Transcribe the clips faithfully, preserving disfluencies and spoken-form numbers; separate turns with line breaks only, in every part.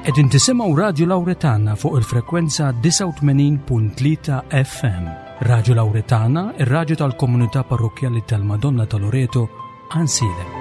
Qegħdin tisimgħu Radju Lawretana fuq il-frekwenza disgħa u tmenin punt tlieta F M. Radju Lawretana, ir-radju tal-komunità parrokkjali tal-Madonna ta' Loreto, Għajnsielem.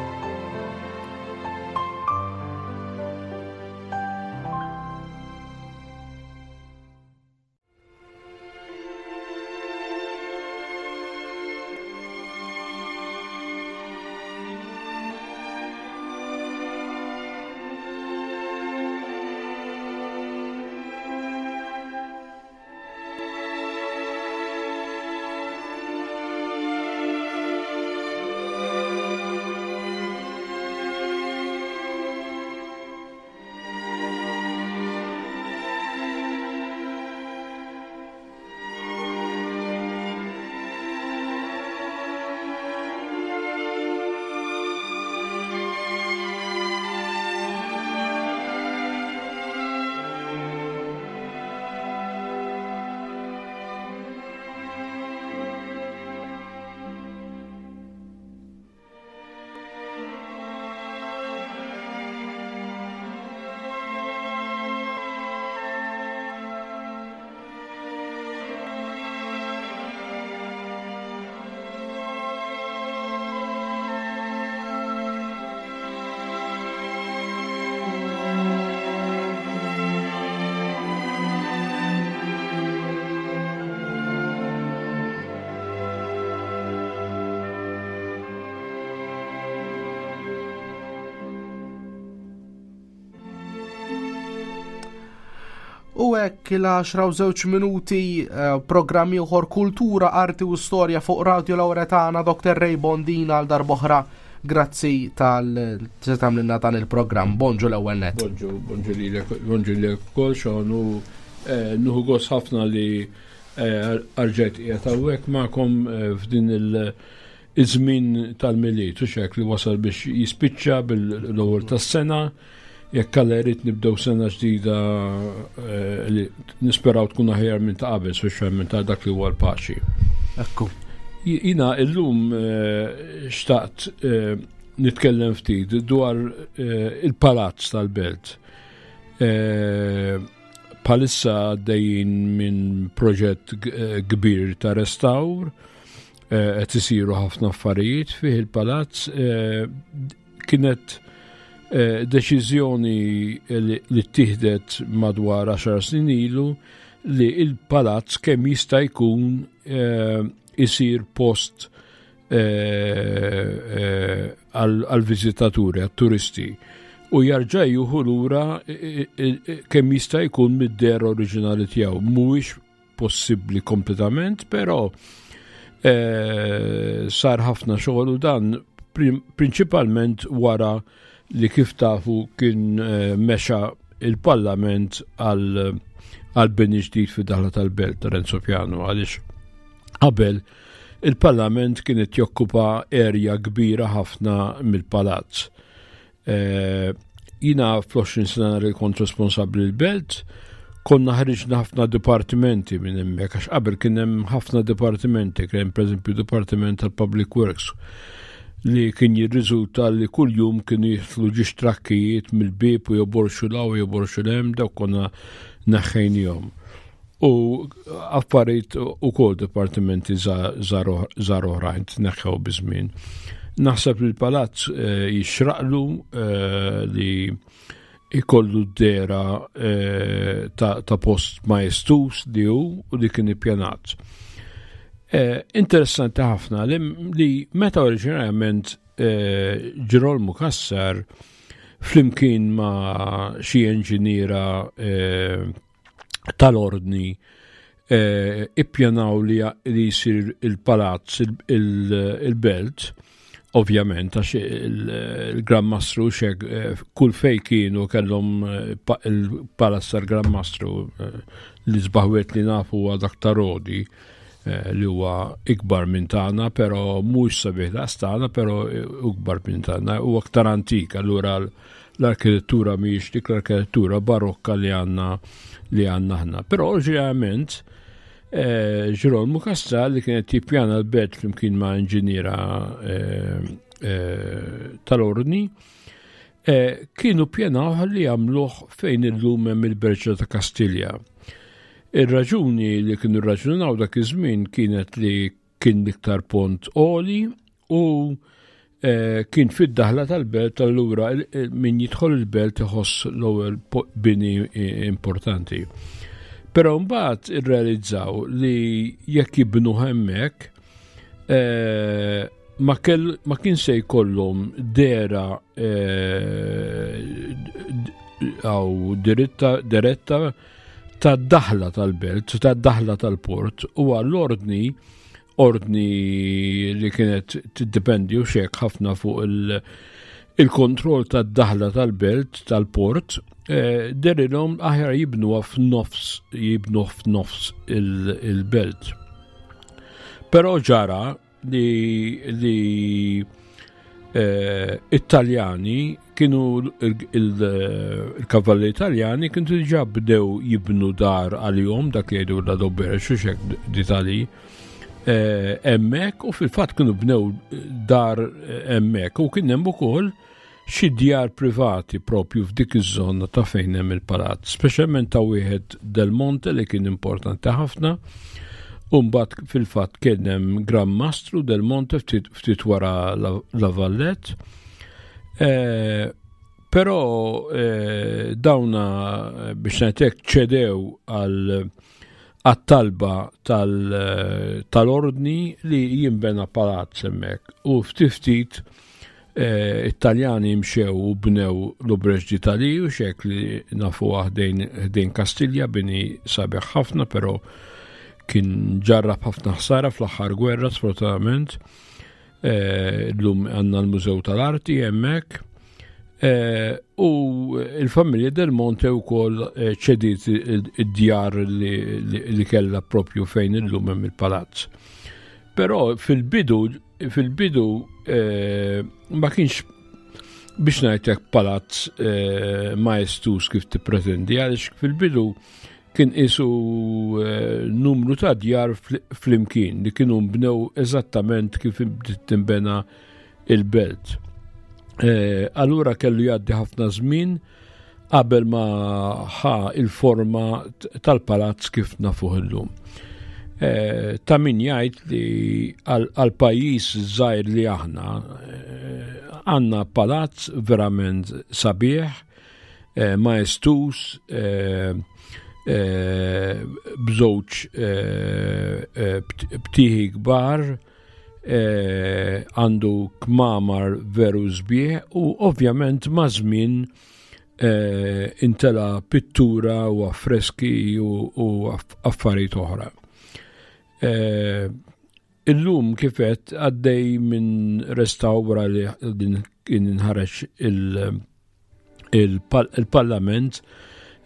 U hekk il-għaxra u żewġ minuti, eh, programm ieħor Kultura, Arti u Storja fuq Radio Lawretana, Doktor Ray Bondina għal darb'oħra. Grazzi tal se tagħmlilna dan il-programm. Bonġu l-ewwel nett.
Bonġu, bonġu lilek, bonġu lilek ukoll, Sean, u, eh, nuħu gost ħafna li, eh, rġajt qiegħed hawnhekk magħkom, eh, f'din il- iż-żmien tal-Milied, u xek li wasal biex jispiċċa bil-ewwel tas-sena. Jekk Alla jrid nibdew sena ġdida, eh, li nisperaw tkun aħjar minn ta' qabel, speċjalment ta' dak li huwa l-paċi.
Ekku.
Ji-, jina illum, eh, xtaqt, eh, nitkellem ftit dwar, eh, il-palazz tal-belt. Eh, palissa għaddejjin minn proġett g-, eh, kbir ta' restawr, eh, qed isiru ħafna affarijiet fih il-palazz. Eh, kienet, eh, deċiżjoni li, li ttieħdet madwar għaxar snin ilu li il-palazz kemm jista' jkun, eh, isir post, eh, eh, għal, għal-viżitaturi, għal-turisti, u jarġa' jieħu lura, eh, eh, eh, kemm jista' jkun mid-dehra oriġinali tiegħu. Mhuwiex possibbli kompletament, però, eh, sar ħafna xogħol, u dan prim-, prinċipalment wara li kif tafu kien, eh, mexa il-Parlament għal, għal bini ġdid fid-daħla tal-belt ta' Renzo Piano, għaliex qabel il-Parlament kien qed jokkupa erja kbira ħafna mill-palazz. Eh, jina fl-għoxrin sena li kont responsabbli l-belt, konna ħriġna ħafna dipartimenti minn hemmhekk, għax qabel kien hemm ħafna dipartimenti, kien hemm pereżempju Dipartiment tal-Public Works li kien jirriżulta li kuljum kienu jidħlu ġiex trakkijiet mill-bieb u joborxu law u joborxu l-hemm, dawk konna neħħejnihom. U affarijiet ukoll dipartimenti za-, żgħar żgħar oħrajn tneħħew biż-żmien. Naħseb li l-palazz, eh, jixraqlu, eh, li ikollu d-dehra, eh, ta', ta' post majestus li hu u li kien ippjanat. Eh, interessanti ħafna li, li meta oriġinarjament, eh, Ġirolmu Cassar flimkien ma' xi inġiniera, eh, tal-ordni, eh, ippjanaw li, li jsir il-palazz, il-, il-, il-belt, ovvjament, għax il-, il-Gran Mastru xek, eh, kull fej kienu kellhom, eh, pa-, il-palazz tal-Gran Mastru, eh, li sbaħwet li nafu huwa dak ta' Rodi, eh, li huwa ikbar minn tagħna, però mhux sabiħ daqs tagħna, però ikbar minn tagħna, u aktar antik, allura l-, l-arkitettura mhijiex dik l-arkitettura barokka li għandna, li għandna aħna. Però ġeneralment, eh, Ġirolmu Cassar li kienet jippjana l-belt flimkien ma' inġiniera, eh, eh, tal-ordni, eh, kienu pjanaw li jagħmluh fejn illum hemm il-Berġa ta' Kastilja. Ir-raġuni li kienu rraġunaw dak iż-żmien kienet li kien l-iktar pont għoli u eh, kien fid-daħla tal-belt, allura min jidħol il-belt iħoss l-ewwel bini importanti. Però mbagħad irrealizzaw li jekk jibnu hemmhekk eh, ma, kell, ma kien se jkollhom dera għaw eh, diretta ta' daħla tal-belt, ta' daħla tal-port, u għall-ordni ordni li kienet tiddependi u xek ħafna fuq il-kontroll il tad-daħla tal-belt, tal-port, eh, derilhom aħjar jibnuha f'nofs, jibnu f'nofs il-belt. Però ġara li, li eh, Italjani kienu il-kavalli Italjani kienu diġà bdew jibnu dar għalihom, dak li jgħidu l-adobbera xuxek d'Itali eh, hemmhekk, u fil-fatt kienu bnew dar hemmhekk u kien hemm ukoll xi djar privati propju f'dik iż-żona ta' fejn hemm il-palazz, speċjalment ta' wieħed Del Monte li kien importanti ħafna. U mbagħad fil-fatt kien hemm Gran Mastru Del Monte ftit, ftit wara La, La Vallette. Eh, però eh, dawna biex ngħidlek ċedew għal għat-talba tal-ordni li jimbena palazz hemmhekk u ftit ftit eh, Italjani mxew u bnew l-Auberge d'Italie u xek li nafu ħdejn ħdejn Kastilja, bini sabiħ ħafna, però kien ġarrab ħafna ħsara fl-aħħar gwerra, sfortunatament. Eh, Illum għandna l-Mużew tal-Arti hemmhekk. Eh, u il-familja Del Monte wkoll eh, ċediet id-djar li, li, li kellha propju fejn illum hemm il-palazz. Però fil-bidu fil-bidu eh, ma kienx, biex ngħidlek, palazz eh, majestus kif tippretendi, għaliex fil-bidu kien isu eh, numru ta' djar flimkien li kienu mbnew eżattament kif tinbena il-belt. Eh, allura kellu jgħaddi ħafna żmien qabel ma ħa il-forma tal-palazz kif nafuh illum. Eh, ta' min jgħid li għal pajjiż żgħir li aħna għandna palazz verament sabiħ, majestus, bżewġ btieħi kbar, għandu kmamar veru sbieħ u ovvjament ma' żmien intela pittura u affreski u affarijiet oħra. Illum kifet għaddej minn restawra li din kien inħareġ il-parlament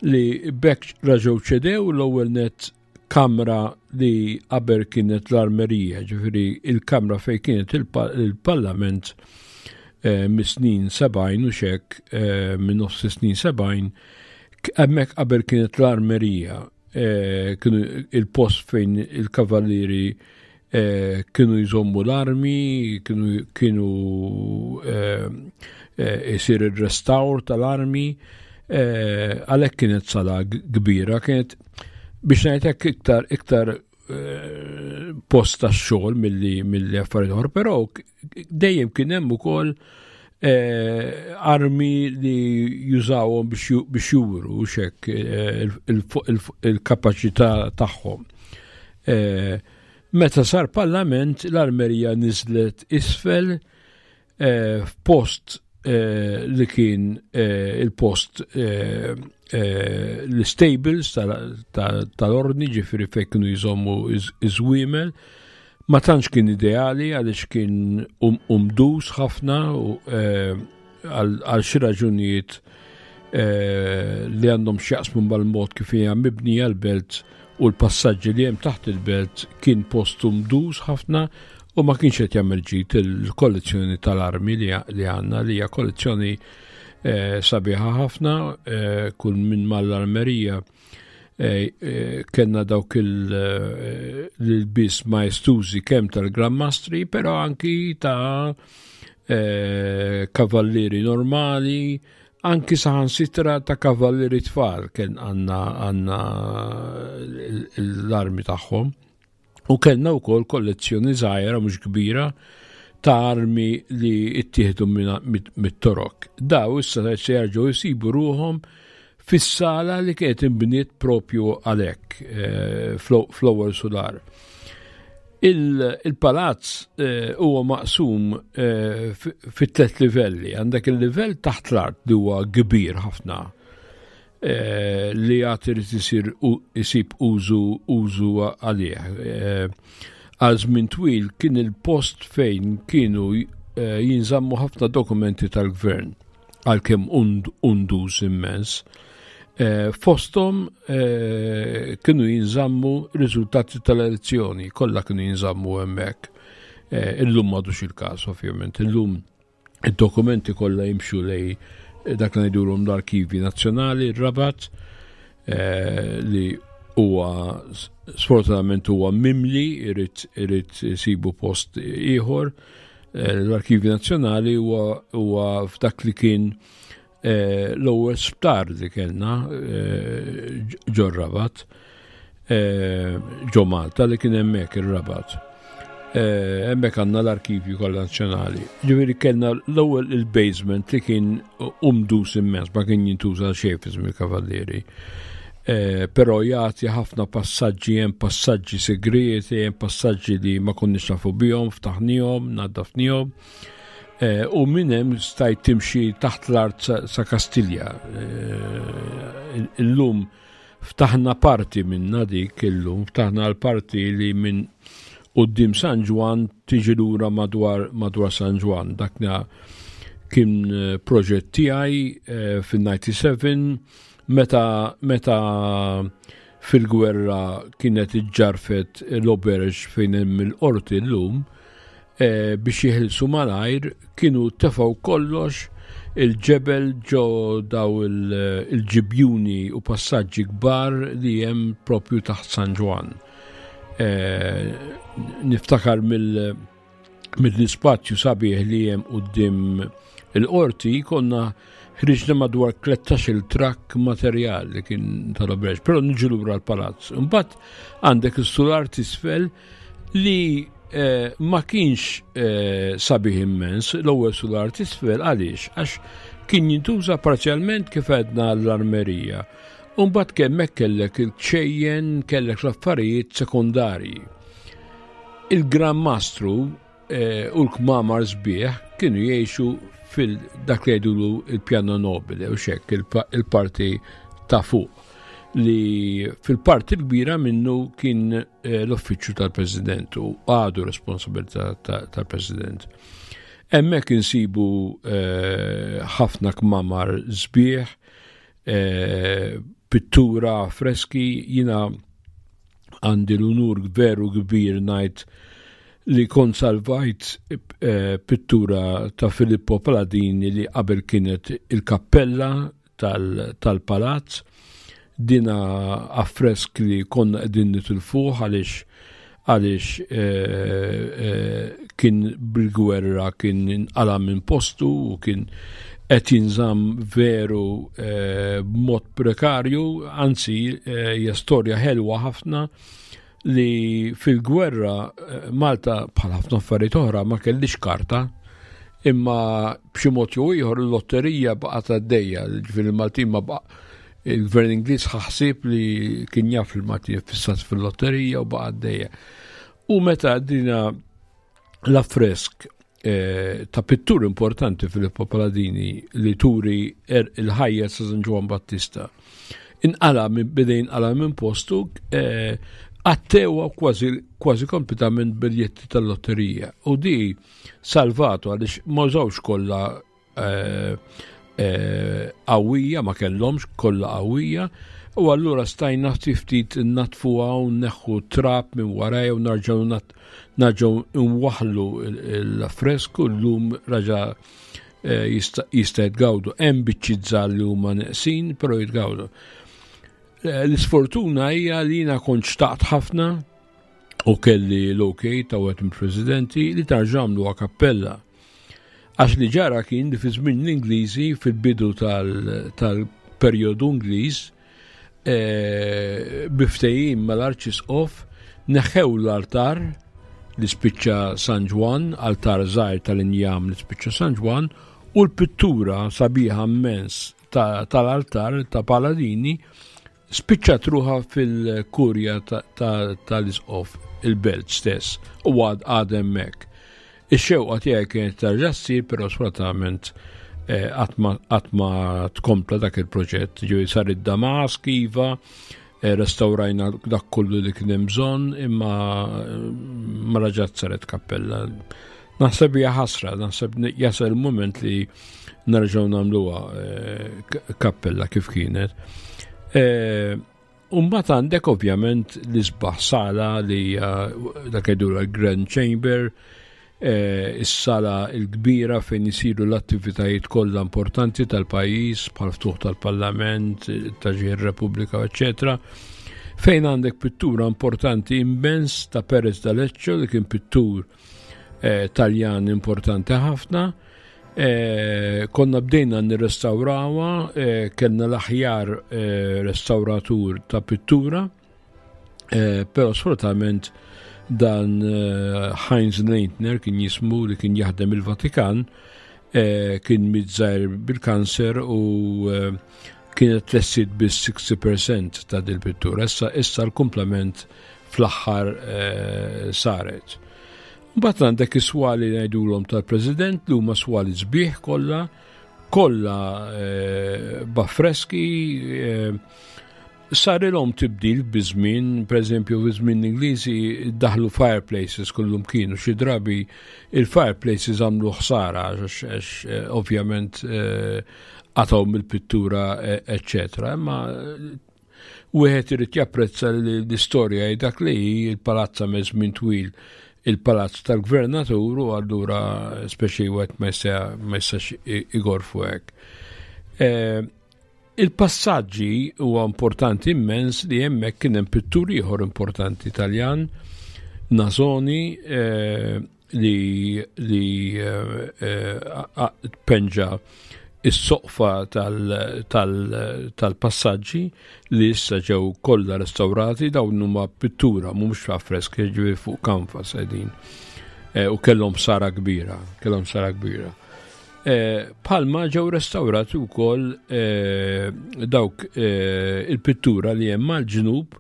li bekk raġgħu ċedew l-ewwel net kamra li qabel kienet l-armerija, ġifieri il-kamra fej kienet il-parlament eh, mis-snin sebgħin u xek, eh, minn nofs snin sebgħin, hemmhekk qabel kienet l-armerija, eh, kienu il-post fejn il-kavallieri kienu jżommu l-armi, kienu kienu isir il-restawr tal-armi, għalhekk kienet sala kbira, kienet biex ngħidlek iktar iktar post tax-xogħol milli milli affarijiet oħra, però dejjem kien hemm ukoll armi li jużawhom biex juru xek il-kapaċità tagħhom. Meta sar parlament, l-armerija niżlet isfel f'post li kien il-post l-stables tal-ordni, ġifieri fejn kienu jżommu iż-żwiemel. Ma tantx kien ideali għaliex kien um, umdus ħafna u għal xi raġunijiet li għandhom x'jaqsmu mal-mod kif hija mibnija l-belt u l-passaġġi li hemm taħt il-belt, kien post umdus ħafna u ma kienx qed jagħmel ġid il-kollezzjoni tal-armi li għandna, li hija kollezzjoni eh, sabiħa ħafna. eh, kull minn mal-armerija eh, kellna dawk il-bis maestużi kemm tal-Gran Mastri, però anki ta' eh, kavallieri normali, anki saħansitra ta' kavallieri tfal kien għandna għandna l-armi tagħhom. U kellna wkoll kollezzjoni żgħira, mhux kbira, ta' armi li ittieħdu mit-Torok. Daw issa se jerġgħu jsibu ruhom fis-sala li kienet inbniet propju għalhekk eh, fl-ewwel sular. Il-palazz eh, huwa maqsum eh, fit tliet livelli. Għandek il-livell taħt l-art li huwa kbir ħafna, eh, li għad irid isir isib użu użu għalih. Għal żmien twil kien il-post fejn kienu jinżammu ħafna dokumenti tal-gvern, għalkemm undus immens. Eh, fostom eh, kienu jinżammu riżultati tal-elezzjoni, kollha kienu jinżammu hemmhekk. Eh, illum m'għadux il-każ, ovvjament. Illum id-dokumenti kollha jimxu lej dak li ngħidulhom l-Arkivi Nazzjonali, r-Rabat, li huwa sfortunatament huwa mimli, irid irid isibu post ieħor. L-Arkivi Nazzjonali huwa f'dak li kien Eh, l-ewwel sptar li kellna eh, ġo Rabat, eh, ġo Malta, li kien hemmhekk ir-Rabat. Hemmhekk għandna l-arkivju kollha nazzjonali. Ġifieri kellna l-ewwel il-basement li kien umdus immens, ma kien jintuża xejn fi żmien il-Kavallieri. Però jagħti ħafna passaġġi, hemm passaġġi segreti, hemm passaġġi li ma konniex nafu bihom, ftaħnihom, naddafnihom. Eh, u minn hemm stajt timxi taħt l-art sa Kastilja. Eh, illum ftaħna parti minna dik illum, ftaħna l-parti li minn quddiem San Ġwann tiġi lura madwar madwar San Ġwann. Dakna kien eh, proġett tiegħi fin-disgħa u disgħin meta meta fil-gwerra kienet iġġarfet l-auberge fejn hemm il-qorti llum, Eh, biex jeħilsu malajr kienu tefgħu kollox il-ġebel ġo daw il-ġibjuni u passaġġi kbar li hemm propju taħt San Ġwann. Eh, niftakar mill-ispazju sabiħ li hemm quddiem il-qorti konna ħriġna madwar tlettax-il trakk materjal li kien tal-auberge, però niġu lura l-palazz. Imbagħad għandek is-sular t'isfel li Eh, ma kienx eh, sabiħ immens l-ewwel sular t'isfel. Għaliex? Għax kien jintuża parzjalment, kif għedna, l-armerija. Umbagħad hemmhekk kellek il-ċejjen, kellek l-affarijiet sekundarji. Il-Gran Mastru eh, u l-kmamar sbieħ kienu jgħixu fil-dak li jgħidulu il-piano nobile u xek il-parti ta' fuq, li fil-parti kbira minnu kien eh, l-uffiċċju tal-President u għadu responsabilità tal-President. Hemmhekk insibu eh, ħafna kmamar sbieħ, eh, pittura, freski. Jiena għandi l-unur veru kbir ngħid li kont salvajt pittura ta' Filippo Paladini li qabel kienet il-kappella tal-palazz. Dina affresk li konna qegħdin nitilfuh għaliex għaliex eh, eh, kien bil-gwerra kien inqala minn postu u kien qed jinżamm veru eh, b'mod prekarju, anzi hija storja ħelwa ħafna li fil-gwerra Malta, bħal ħafna affarijiet oħra, ma kellix karta, imma b'xi mod jew ieħor il-lotterija baqgħet għaddejja, ġifieri il-Maltin ma baqa' il-gvern Ingliż ħaħsib li kien jaf il-Maltin fissat fil-lotterija u baqa' għaddejja. U meta dina l-affresk eh, ta' pittur importanti Filippo Paladini li turi er, il-ħajja ta' San Ġwann Battista, inqala minn bidejn inqala minn postu, eh, għattewa kważi kważi kompletament biljetti tal-lotterija. U di salvatu għaliex ma użawx kollha eh, qawwija, ma kellhomx kollha qawwija, u allura stajna ftit natfuha u neħħu trab minn warajja u nerġgħu nerġgħu nwaħlu l-affresku. Llum raġa eh, jista' jitgawdu. Hemm biċċiet żgħar li huma neqsin, però jitgawdu. Eh, l-isfortuna hija li jiena kont xtaqt ħafna u kelli l-ok ta' wieħed mill-presidenti li terġa' għamlu kappella. Għax li ġara kien li fi żmien l-Ingliżi, fil-bidu tal-perjodu Ingliż, eh, bi ftehim mal-Arċisqof neħħew l-altar li spiċċa San Ġwann, altar żgħir tal-injam li spiċċa San Ġwann, u l-pittura sabiħa immens tal-altar ta' Paladini spiċċat ruħha fil-kurja tal-isqof il-Belt stess u għad għad hemmhekk. Ix-xewqa tiegħi kienet terġa' ssir, però sfortunatament eh, qatt ma tkompla dak il-proġett. Ġew sar id-Damask, iva, eh, restawrajna dak kollu li kien hemm bżonn, imma eh, ma raġat saret kappella. Naħseb hija ħasra, naħseb jasal il-moment li nerġgħu nagħmluha kappella kif kienet. Umbagħad għandek ovvjament l-isbaħ sala li dak jgħidu l-Grand Chamber, Eh, is-sala l-kbira fejn isiru l-attivitajiet kollha importanti tal-pajjiż, bħal ftuħ tal-Parlament, ta' ġieħ Repubblika, eċetera. Fejn għandek pittura importanti immens ta' Perez d'Aleccio, li kien pittur eh, Taljan importanti ħafna. Eh, konna bdejna nirrestawrawha, kellna l-aħjar restawratur ta' pittura, però sfortunatament dan eh, Heinz Leitner kien jismu, li kien jaħdem il-Vatikan, eh, kien miet żgħir bil-kanser u eh, kienet tlestiet bis sittax fil-mija ta' dil-pittura. Issa, issa l-komplement fl-aħħar saret. Mbagħad għandek is-swali ngħidulhom tal-President, li huma swali sbieħ kollha, kollha b'affreski, sarilhom tibdil biż-żmien, per eżempju, fi żmien Ingliżi daħlu fireplaces kullum kienu, xi drabi il-fireplaces għamlu ħsara għax eh, ovvjament eh, qatgħu mill-pittura, eccetera. Imma wieħed irid japprezza li l-istorja hi dak li hi, il-palazz għamel żmien twil il-palazz tal-gvernatur u allura speċi wieħed ma jistax igorfu hekk. Eh, Il-passaġġi huwa importanti immens li hemmhekk kien hemm pittur ieħor importanti Taljan, Nasoni, eh, li, li eh, penġa is-soqfa tal-passaġġi li issa ġew kollha restaurati. Dawn huma pittura, mhumiex affreski, ġifieri fuq kanvas qegħdin. Eh, u kellhom sara kbira, kellhom sara kbira. Eh, Palma ġew restaurati wkoll eh, dawk il-pittura li hemm mal-ġnub,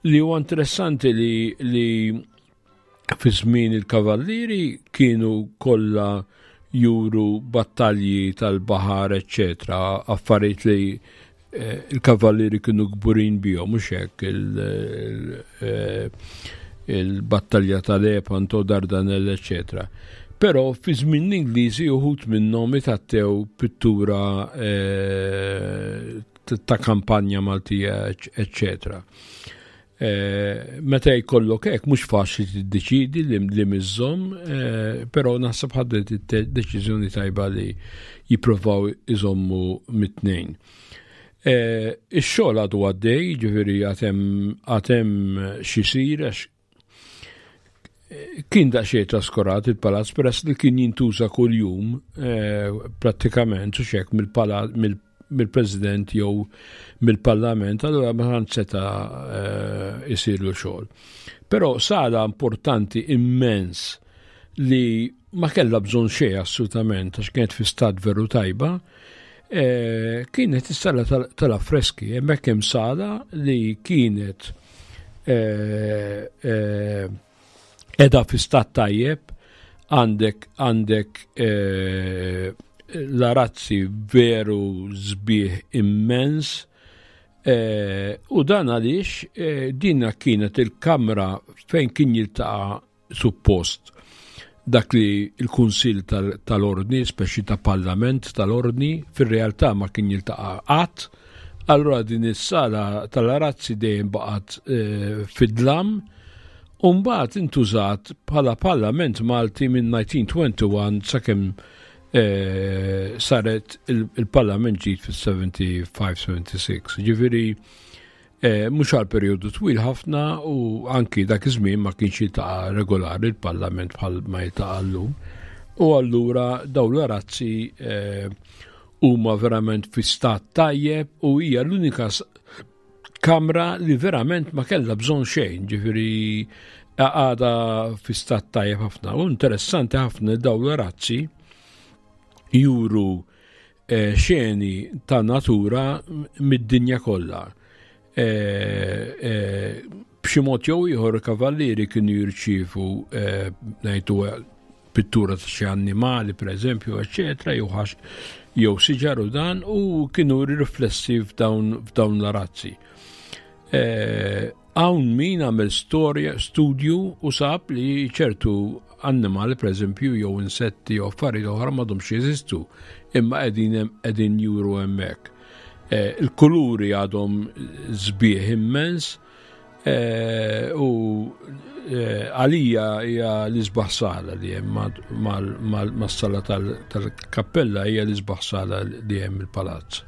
li huwa interessanti li, li fi żmien il-kavallieri kienu kollha juru battalji tal-baħar, eccetera, affarijiet li eh, il-kavallieri kienu kburin bihom, mhux hekk, eh, il-battalja tal-Lepanto, Dardanelle, eccetera. Però fi żmien l-Ingliżi uħud minnhom itattew pittura eh, ta' kampanja Maltija, eccetera. Eh, meta jkollok hekk mhux faċli tiddeċidi li, li miżżomm, eh, però naħseb ħadet deċiżjoni tajba li jippruvaw iżommu mit-tnejn. Eh, ix-xogħol għadu għaddej, ġifieri għad hemm x'isir għax kien daqsxejn traskurat il-palazz peress li kien jintuża kuljum prattikament u xek mill-palazz mill-President jew mill-Parlament, allura ma tantx seta' eh, isirlu xogħol. Però sala importanti immens li ma kellha bżonn xejn assolutament għax kienet fi stat veru tajba, eh, kienet is-sala tal-affreski, hemmhekk hemm sala li kienet eh, qiegħda fi stat tajjeb, għandek għandek l-arazzi veru sbieħ immens eh, u dan għaliex eh, dinna kienet il-kamra fejn kien jiltaqa' suppost dak li il-Kunsill tal-Ordni, speċi ta' Parlament tal-Ordni, fir-realtà ma kien jiltaqa' qatt, allura din is-sala tal-arazzi dejjem baqgħet eh, fid-dlam. U mbagħad intużat bħala Parlament Malti minn elf disa' mija u wieħed u għoxrin sakemm eh, saret il-Parlament ġdid fis-sebgħa u sebgħin sebgħa u sitta. Ġifieri eh, mhux għal perjodu twil ħafna u anki dak iż-żmien ma kienx jiltaqa' regolari il-Parlament bħal ma jiltaqa' llum. U allura dawn l-arazzi eh, huma verament fi stat tajjeb u hija l-unika kamra li verament ma kellha bżonn xejn, ġifieri għada fi stat tajjeb ħafna. U interessanti ħafna dawn l-arazzi juru eh, xeni ta' natura mid-dinja kollha. Eh, eh, b'xi mod jew ieħor kavallieri kienu jirċievu eh, ngħidu pittura ta' xi annimali pereżempju, eċetera, jew jew siġar u dan u kienu riflessi f'dawn f'dawn l-arazzi. Hawn min għamel storja, studju u sab li ċertu annimali pereżempju jew insetti jew affarijiet oħra m'għadhomx jeżistu imma qegħdin qegħdin juru hemmhekk. Eh, il-kuluri għadhom sbieħ immens eh, u eh, għalija hija l-isbaħ sala li hemm mas-sala tal-kappella hija l-isbaħ sala li hemm il-palazz.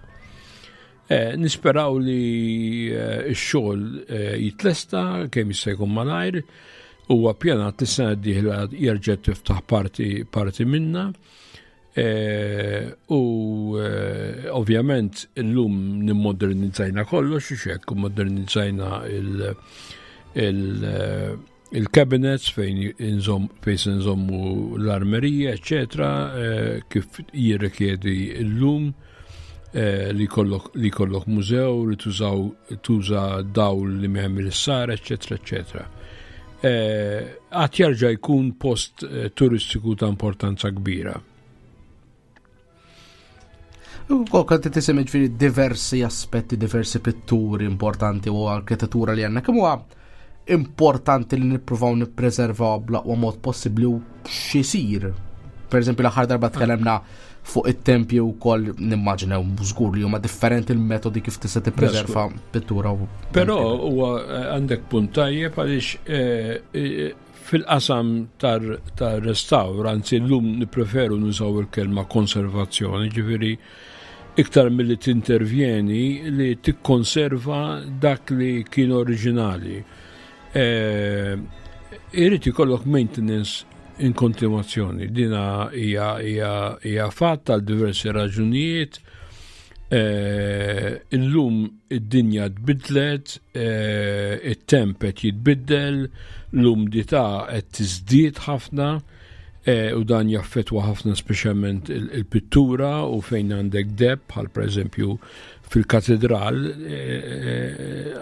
Nisperaw li x-xogħol jitlesta kemm jista' jkun malajr, huwa ppjanat li s-sena d-dieħla jerġa' tiftaħ parti parti minna. Eh, u eh, ovvjament illum nimmodernizzajna kollox, xek, modernizzajna il-cabinets fejn fejn se nżommu l-armerija, eccetera, eh, kif jirrikjedi illum li kollok li kollok mużew, li tużaw tuża dawl li mehem il-sar, eccetera, eccetera. Għad jerġa' jkun post turistiku ta' importanza kbira.
U kont tisemmi ġifieri diversi aspetti, diversi pitturi importanti u arkitettura li għandna. Kemm huwa importanti li nippruvaw nippreservaw bl-aqwa mod possibbli u x'isir? Per eżempju, l-aħħar darba tkellemna fuq it-tempju wkoll nimmaġinaw żgur li huma differenti l-metodi kif tista' tippreserva pittura. U
Però huwa għandek punt tajjeb għaliex eh, eh, fil-qasam tar-restawr, anzi llum nippreferu nużaw il-kelma konservazzjoni, ġifieri iktar milli tintervjeni li tikkonserva dak li kien oriġinali. Eh, Irid ikollok maintenance in kontinuazzjoni. Dina hija hija hija fatt għal diversi raġunijiet. Eh, illum id-dinja tbidlet, eh, it-temp qed jitbiddel, l-umdità qed tiżdied ħafna, eh, u dan jaffettwa ħafna speċjalment il-pittura u fejn għandek deb, bħal pereżempju fil-katedral,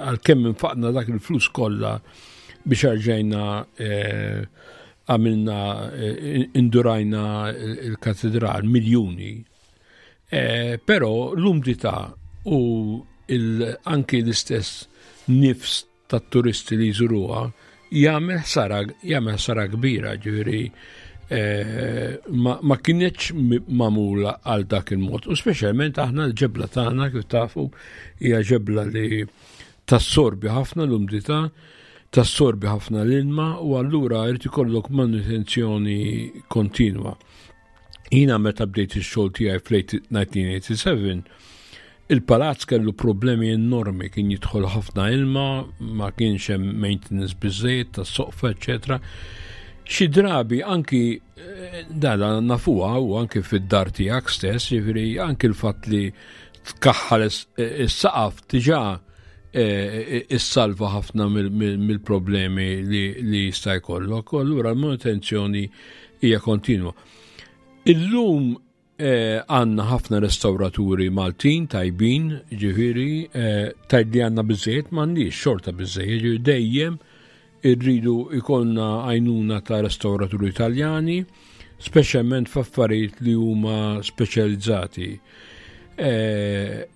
għalkemm infaqna dak il-flus kollha biex erġajna għamilna indurajna il-katedral miljuni. Eh, però l-umdità u anki l-istess nifs tat-turisti li jżuruha jagħmel ħsara jagħmel ħsara kbira, ġifieri eh, ma, ma kienx magħmula għal dak il-mod. U speċjalment aħna l-ġebla tagħna kif tafu hija ġebla li tassorbi ħafna l-umdità, tassorbi ħafna l-ilma u allura jrid ikollok manutenzjoni kontinwa. Jiena meta bdejt ix-xogħol tiegħi fl-nineteen eighty-seven, il-palazz kellu problemi enormi, kien jidħol ħafna ilma, ma kienx hemm maintenance biżejjed tas-soqfa, eċetera. Xi drabi anki eh, dala nafuha u anki fid-dar tiegħek stess, jiġifieri anki l-fatt li tkaħħal is-saqaf diġà eh, issalva ħafna mill-problemi li jista' jkollok, u allura l-manutenzjoni hija kontinwa. Illum eh, għandna ħafna restawraturi Maltin tajbin, ġifieri, eh, tajd li għandna biżejjed m'għandix xorta biżejjed, ġifieri dejjem irridu ikollna għajnuna ta' restawraturi Italjani, speċjalment f'affarijiet li huma speċjalizzati. Eh,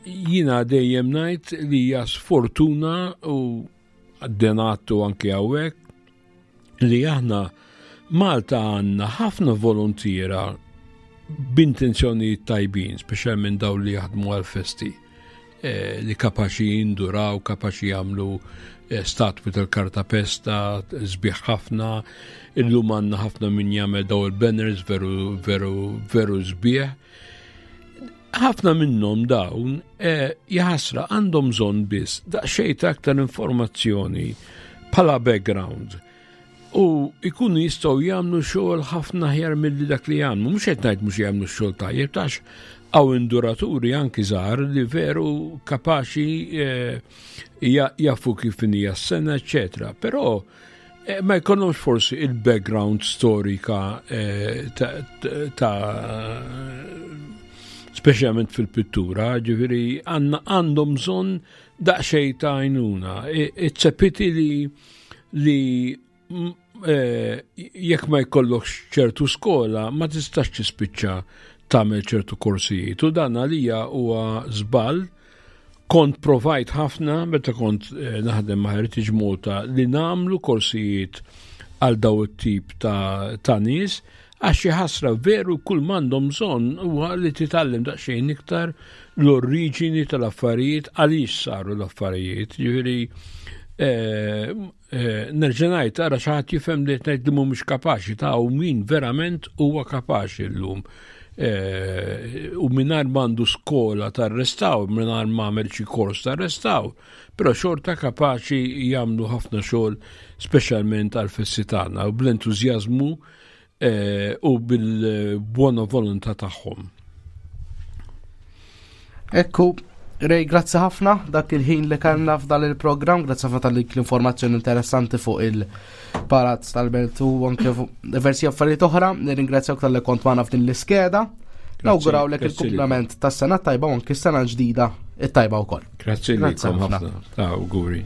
jiena dejjem ngħid li hija sfortuna u għaddenatu anki hawnhekk li aħna Malta għandna ħafna volontiera b'intenzjonijiet tajbin, speċjalment dawn li jaħdmu għal-festi, eh, li kapaċi jinduraw, kapaċi jagħmlu, eh, statwi tal-kartapesta, sbieħ ħafna, illum għandna ħafna min jagħmel daw il-banners veru, veru, veru sbieħ. Ħafna minnhom dawn, eh, jaħasra għandhom bżonn biss daqsxejn ta' aktar informazzjoni bħala background. U ikunu jistgħu jagħmlu xogħol ħafna aħjar milli dak li jagħmlu. Mhux qed ngħid mhux jagħmlu xogħol tajjeb, għax hawn induraturi anki żgħar li veru kapaċi eh, jafu kif hija s-sengħa, eċetera. Però eh, ma jkollhomx forsi il-background storika eh, ta' speċjalment fil-pittura, ġifieri għandhom bżonn daqsxejn ta' għajnuna. It's a pity li li jekk ma jkollokx ċertu skola ma tistax tispiċċa tagħmel ċertu korsijiet. U dan għalija huwa żball. Kont provajt ħafna meta kont eh, naħdem ma' Heritage Malta li nagħmlu korsijiet għal daw it-tip ta', ta nies, għax xi ħasra veru, kull m'għandhom bżonn huwa li titgħallem daqsxejn iktar l-oriġini tal-affarijiet, għaliex saru l-affarijiet. Ġifieri eh, eh, nerġa' ngħid, ara xi ħadd jifhem li qed ngħid li mhumiex kapaċi, ta' u min verament huwa kapaċi llum. Eh, u mingħajr m'għandu skola tar-restawr, mingħajr m'għamel xi kors tar-restawr, però xorta kapaċi jagħmlu ħafna xogħol, speċjalment għal festi tagħna, u bl-entużjażmu eh, u bil-buona volontà tagħhom.
Ekku, Ray, grazzi ħafna dak il-ħin li kellna f'dan il-programm, grazzi ħafna tal l-informazzjoni interessanti fuq il-Palazz tal-Belt u anke diversi affarijiet oħra. Nirringrazzjak talli kont magħna f'din l-iskeda. Nawgurawlek il-kumplament tas-sena tajba u anke s-sena ġdida it-tajba wkoll.
Grazzi lilkom ħafna. Ta' auguri.